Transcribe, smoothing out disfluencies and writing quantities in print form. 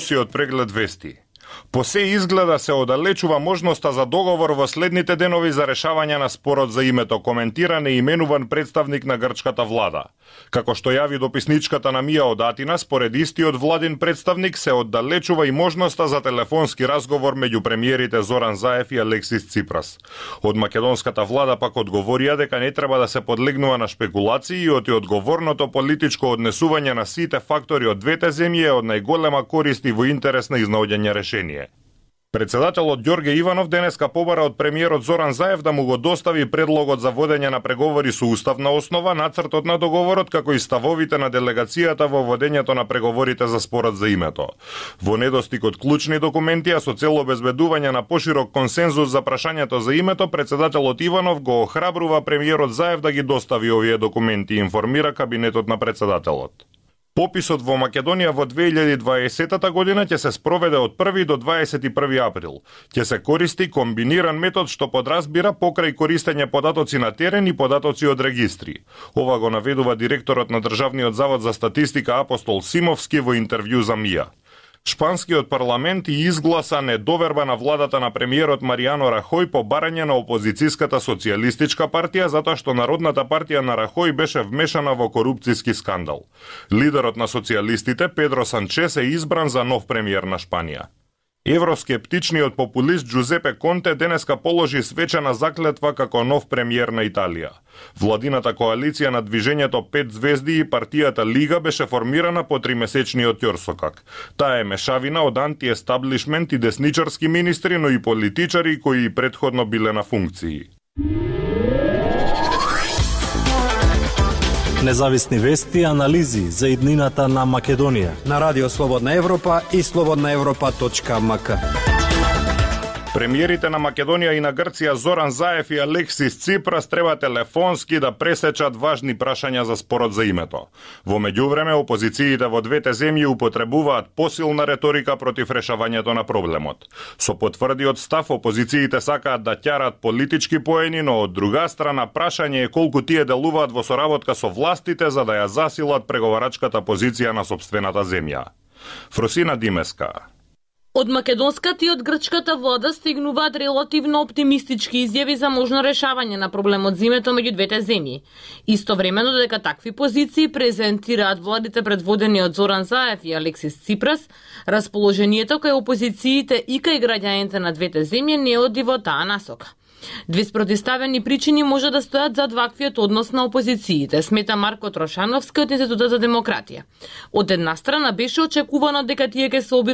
од преглед вести. По се изгледа се оддалечува можноста за договор во следните денови за решавање на спорот за името, коментира неименуван представник на грчката влада. Како што јави дописничката на Мија од Атина, според истиот владин представник се оддалечува и можноста за телефонски разговор меѓу премиерите Зоран Заев и Алексис Ципрас. Од македонската влада пак одговорија дека не треба да се подлегнува на шпекулации и одговорното политичко однесување на сите фактори од двете земји е од најголема корист и во интерес на изнаоѓање решение. Председателот Ѓорге Иванов денеска побара од премиерот Зоран Заев да му го достави предлогот за водење на преговори со уставна основа, нацртот на договорот, како и ставовите на делегацијата во водењето на преговорите за спорот за името. Во недостиг од клучни документи, а со цел обезбедување на поширок консензус за прашањето за името, председателот Иванов го охрабрува премиерот Заев да ги достави овие документи, информира кабинетот на председателот. Пописот во Македонија во 2020 година ќе се спроведе од 1 до 21 април. Ќе се користи комбиниран метод што подразбира покрај користење податоци на терен и податоци од регистри. Ова го наведува директорот на Државниот завод за статистика Апостол Симовски во интервју за Мија. Шпанскиот парламент и изгласа недоверба на владата на премиерот Маријано Рахој по барање на опозицијската социјалистичка партија затоа што Народната партија на Рахој беше вмешана во корупцијски скандал. Лидерот на социјалистите Педро Санчес е избран за нов премиер на Шпанија. Евроскептичниот популист Джузепе Конте денеска положи свечена заклетва како нов премиер на Италија. Владината коалиција на движењето 5 звезди и партијата Лига беше формирана по 3-месечниот ќорсокак. Таа е мешавина од антиестаблишмент и десничарски министри, но и политичари кои претходно биле на функции. Независни вести и анализи за иднината на Македонија на Радио Слободна Европа и slobodnaevropa.mk. Премиерите на Македонија и на Грција Зоран Заев и Алексис Ципрас треба телефонски да пресечат важни прашања за спорот за името. Во меѓувреме, опозициите во двете земји употребуваат посилна реторика против решавањето на проблемот. Со потврдиот став, опозициите сакаат да ќарат политички поени, но од друга страна прашање е колку тие делуваат во соработка со властите за да ја засилат преговарачката позиција на сопствената земја. Фросина Димеска. Од македонската и од грчката влада стигнуваат релативно оптимистички изјави за можно решавање на проблемот за името меѓу двете земји. Истовремено дека такви позиции презентираат владите предводени од Зоран Заев и Алексис Ципрас, расположението кај опозициите и кај граѓаните на двете земји не оди во таа насока. Две спротивставени причини може да стојат зад ваквиот однос на опозициите, смета Марко Трошановски од Институтот за демократија. Од една страна беше очекувано дека тие ќе се обидат